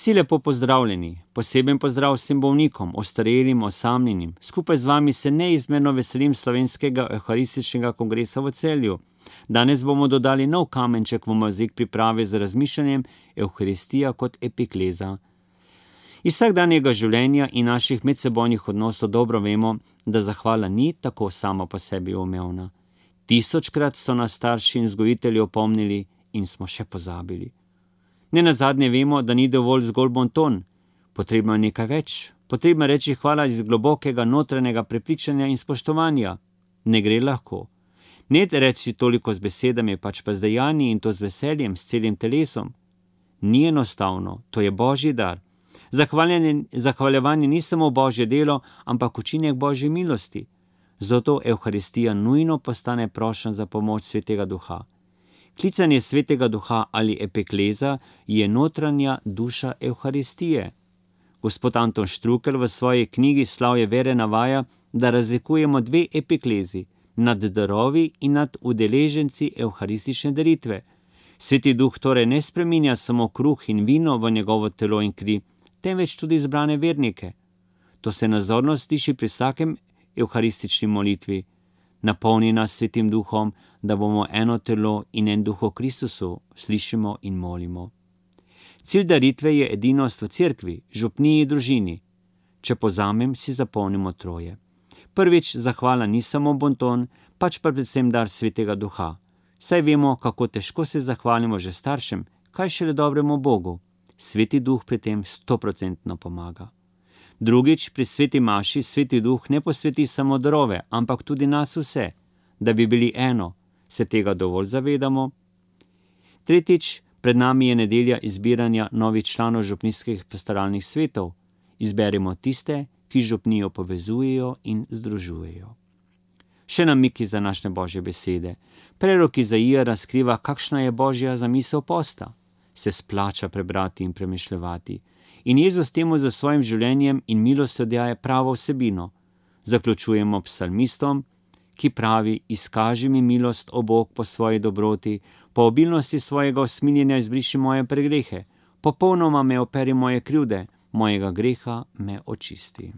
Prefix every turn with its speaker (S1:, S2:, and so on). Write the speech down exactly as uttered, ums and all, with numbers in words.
S1: Vsi lepo pozdravljeni, poseben pozdrav vsem bolnikom, ostarelim, osamljenim. Skupaj z vami se neizmerno veselim slovenskega evharističnega kongresa v Celju. Danes bomo dodali nov kamenček v mozaik priprave z razmišljanjem Evharistija kot epikleza. Iz vsakdanjega življenja in naših medsebojnih odnosov dobro vemo, da zahvala ni tako sama po sebi umevna. Tisočkrat so nas starši in vzgojitelji opomnili in smo še pozabili. Ne nazadnje vemo, da ni dovolj zgolj bonton, potrebno je nekaj več. Potrebno je reči hvala iz globokega notranjega prepričanja in spoštovanja. Ne gre lahko. Ne reči toliko z besedami, pač pa z dejanji in to z veseljem, s celim telesom. Ni enostavno, to je Božji dar. Zahvaljevanje ni samo Božje delo, ampak učinek Božje milosti. Zato Evharistija nujno postane prošnja za pomoč Svetega Duha. Klicanje Svetega Duha ali epikleza je notranja duša Evharistije. Gospod Anton Štrukelj v svoji knjigi Slavje vere navaja, da razlikujemo dve epiklezi, nad darovi in nad udeleženci evharistične daritve. Sveti Duh torej ne spreminja samo kruh in vino v njegovo telo in kri, temveč tudi izbrane vernike. To se nazorno sliši pri vsakem evharistični molitvi. Napolni nas Svetim Duhom, da bomo eno telo in en duh v Kristusu, slišimo in molimo. Cilj daritve je edinost v cerkvi, župniji, družini. Če povzamem, si zapomnimo troje. Prvič, zahvala ni samo bonton, pač pa predvsem dar Svetega Duha. Saj vemo, kako težko se zahvalimo že staršem, kaj šele dobremu Bogu. Sveti Duh pri tem stoprocentno pomaga. Drugič, pri sveti maši Sveti Duh ne posveti samo darove, ampak tudi nas vse, da bi bili eno. Se tega dovolj zavedamo? Tretjič, pred nami je nedelja izbiranja novih članov župnijskih pastoralnih svetov. Izberimo tiste, ki župnijo povezujejo in združujejo. Še namiki za naše Božje besede. Prerok Izaija razkriva, kakšna je Božja zamisel posta. Se splača prebrati in premišljevati. In Jezus temu za svojim življenjem in milostjo daje pravo vsebino. Zaključujemo psalmistom, ki pravi: izkaži mi milost, o Bog, po svoji dobroti, po obilnosti svojega usmiljenja izbriši moje pregrehe, popolnoma me operi moje krivde, mojega greha me očisti.